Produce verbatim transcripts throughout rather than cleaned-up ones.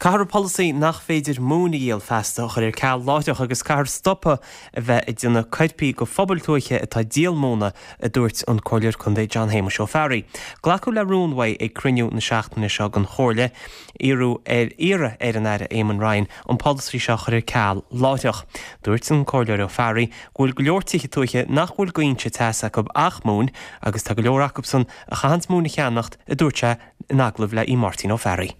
Caithfear an polasaí nach féidir móin a dhíol feasta a chur ar ceal láithreach agus caithfear stopadh a bheith ag déanamh coirpigh de phobail tuaithe atá ag díol móna, a dúirt an Comhairleoir Contae John Shéamuis Ó Fearraigh. Glacadh le rún uaidh ag cruinniú na seachtaine seo den Chomhairle iarradh ar iarraidh ar an Aire Eamon Ryan an polasaí seo a chur ar ceal láithreach. Dúirt an Comhairleoir Ó Fearraigh go bhfuil go leor tithe tuaithe nach bhfuil d'fhoinse teasa acu ach móin agus tá go leor acusan a chaitheanns móin a cheannacht, a dúirt sé in agallamh le Máirtín Ó Fearraigh.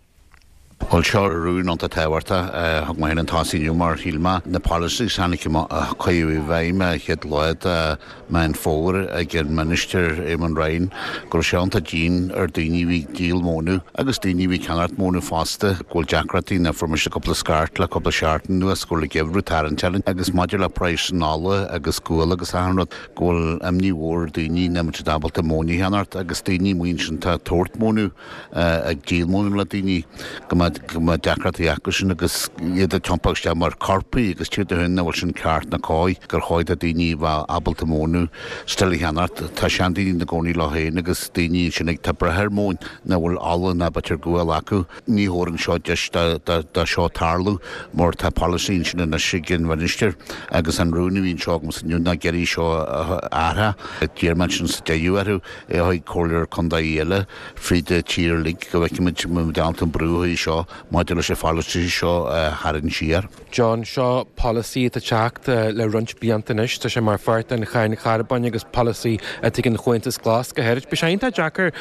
Bhuel seo rún iontach tábhachtach thug mé féin an tosaí inniu mar shíl mé na policies tháinig a cuireadh i bhfeidhm chéad lá de Meán Fómhair ag an Minister Eamon Ryan go raibh sé iontach dian ar daoine bhí ag díol mónadh agus daoine bhí ag ceannacht mónadh fosta go bhfuil deacrachtaí na fuair mise cúpla scairt le cúpla seachtain anuas go bhfuil an geimhreadh tarraingt orainn agus maidir le praghas an ola agus gual agus achan rud go bhfuil imní mhór ar daoine nach mbeidh siad ábalta móin a cheannacht agus daoine amuigh ansin atá ag tabhairt mónadh ag díol mónadh le daoine go mbeidh go mbeidh deacrachtaí acu sin agus iad ag tiompach isteach mar choirpigh agus tír do shin nach bhfuil sin ceart ná cóir gur chóir do daoine bheith ábalta mónadh still a cheannacht. Tá seandaoine ina gcónaí leo féin agus daoine ansin ag tá breith ar mhóin nach bhfuil ola ná b'fhéidir gual acu. Ní thabharfainn seo deis do seo tarlú mar tá polasaí ansin anois ag an Mhinistir agus an rún a bhí anseo agamsa inniu ná ag iarraidh seo a athrú. D'iarr mé ansin sa deireadh orthu é a chuig comhairleoir contae eile fríd an tír uilig go bhfeicfimid muid ábalta an brú a seo maidir leis an pholasaí seo a tharraingt siar. John, seo polasaí atá ag teacht le roinnt blianta anois, tá sé mar pháirt den cháin charbóin agus polasaí atá ag an Chomhaontas Glas go háirid. Beidh sé iontach deacair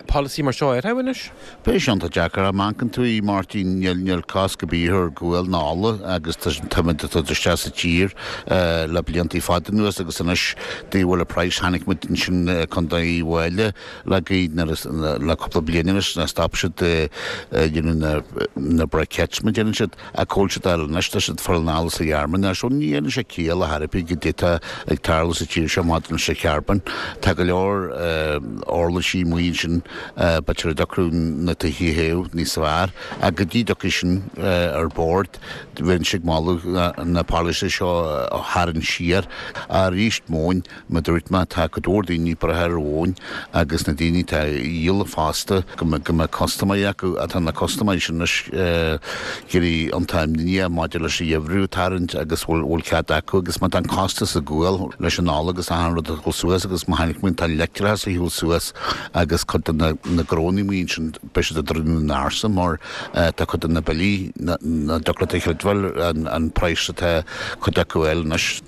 polasaí mar seo a athrú anois? Beidh sé iontach deacair. Má amharcann tú a Mháirtín, níl níl cosc ar bith ar ghual ná ola agus táimid ag dul isteach sa tír le blianta fada anuas agus anois de bhfuil an praghas chonaic muid ansin Contae Uíbh Fhailí le gaoth le cúpla bliain anois ná stop siad dhéanamh na na briquettes mar déanann siad ach cá bhfuil siad a fháil anois tá siad fáil anall as an Ghearmáin so ní dhéanann sé ciall ar chor ar bith goidé atá ag tarlú sa tír seo maidir leis an charbón tá go leor uirlisí amuigh ansin b'fhéidir a dtiocfadh na tithe a théamh níos fearr ach go dtí dtiocfaidh sin ar bord bheinnse ag moladh na polasaithe seo a tharraingt siar arís móin mar dúirt mé tá cuid mhór daoine ag brath ar mhóin agus na daoine atá ag díol fosta go mbeidh go mbeidh custaiméirí acu atá na custaiméirí sin anois ag éirí iontach imníoch maidir leis an gheimhreadh ag tarraingt agus bhfuil bhfuil cead acu agus má tá an costas ag gual leis an ola agus achan rud ag dul suas agus má chonaic muid tá an leictreachas ag dul suas agus cuid de na na gnónna amuigh ansin beidh siad ag druidim na ndoirse mar tá cuid de na billí nach dtiocfadh leat a chreidbheáil an an praghas atá cuid acu a fháil anois.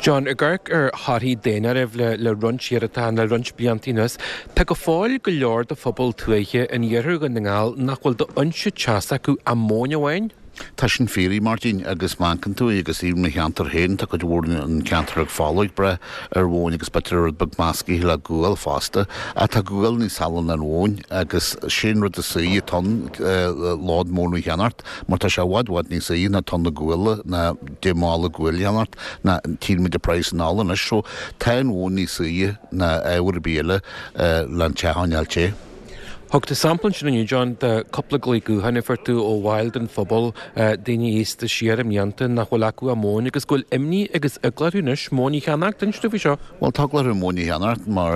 John, ag amharc ar thorthaí daonáirimh le le roinnt iarrata le roinnt blianta anuas, tá go fóill go leor de phobal tuaithe in iarthar Dhún na nGall nach bhfuil d'fhoinse teasa acu ach móin amháin. Tá sin fíor, a Mháirtín, agus má amharcann tú agus i mo cheantar féin, tá cuid mhór an ceantar ag Fola ag brath ar mhóin agus b'fhéidir rud beag meascaithe le gual fosta. Ach tá gual níos saille ná an mhóin agus sin rud is saoire tonn lód móna a cheannacht mar tá sé i bhfad bhfad níos saoire ná tonna guala ná deich mála guail a cheannacht ná tchíonn muid an praghas an ola anois so tá an mhóin níos saoire ná ábhar ar bith eile le an teach a choinneáil te. Thug tú sampla ansin inniu, John, de cúpla glao gutháin a fuair tú ó bhaill den phobal, daoine aosta siar i mblianta nach bhfuil acu ach móin agus go bhfuil imní agus eagla orthu anois móin a cheannacht. Inis dúinn faoi seo. Bhuel, tá eagla orthu móin a cheannacht mar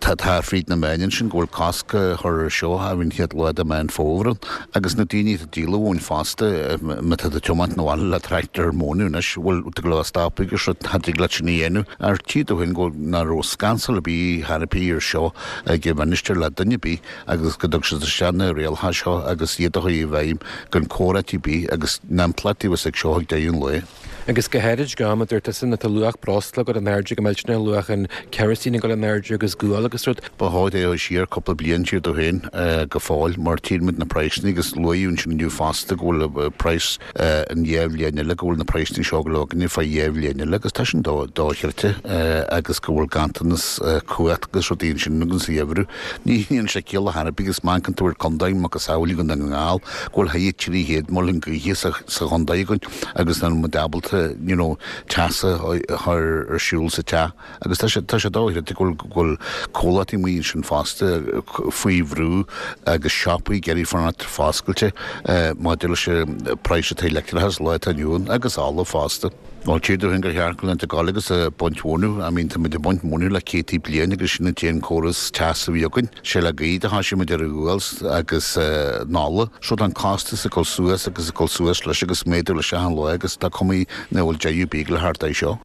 tá tá fríd na meáin ansin go bhfuil cosc á chur ar seo ar an chéad lá de Mheán Fómhair agus na daoine atá ag díol mhóin fosta má tá tú ag tiomáint 'na bhaile le tractor mónadh anois, bhuel, tá go leor stop agus rud, cha dtig leat sin a dhéanamh. Ar tí do féin go nach raibh scansal ar bith ar bith ar seo ag an Mhinistir le duine ar bith agus go dtug siad isteach na rialacha seo agus iad a chur i bhfeidhm gan comhráití ar bith agus na impleachtaí a bheas ag seo ag deireadh an lae. Agus go háirid ag am a dúirt tusa nuair atá luach breosla ag dul in airde go millteanach, luach an kerosene ag dul in airde agus gual agus rud. Ba chóir é a chur siar cúpla bliain siar dó féin go fóill mar tchíonn muid na praghsanna agus luaíodh ansin inniu fosta go bhfuil praghas an dhá bhliain eile go bhfuil na praghsanna seo go leor againne fá dhá bhliain eile agus tá sin dochreidte agus go bhfuil ganntanas cumhachta agus rudaí ansin againn sa gheimhreadh. Ní dhéanann sé ciall ar chor ar bith agus má amharcann tú ar contae macasamhail Dhún na nGall go bhfuil thart trí chéad muileann gaoithe sa chontae againn agus nach bhfuil muid ábalta ábalta you know, teas a chur ar siúl sa teach agus tá sé tá sé dóiche go bhfuil comhlachtaí amuigh ansin fosta faoi bhrú agus siopaí ag iarraidh fanacht foscailte maidir leis an praghas atá leictreachas lá atá inniu ann agus ola fosta. Bhuel tír dúinn gur cheart go leanta gáil agus a baint mhónú, I mean tá muid ag baint móna le céadtaí bliain agus sin an t-aon córas teas a bhí againn. Sé le gaoth a thoisigh muid ar an ghual agus an ola. So tá an costas ag dul suas agus ag dul suas leis agus méadú leis achan lá agus tá cuma nach bhfuil deireadh bíog le thart é seo.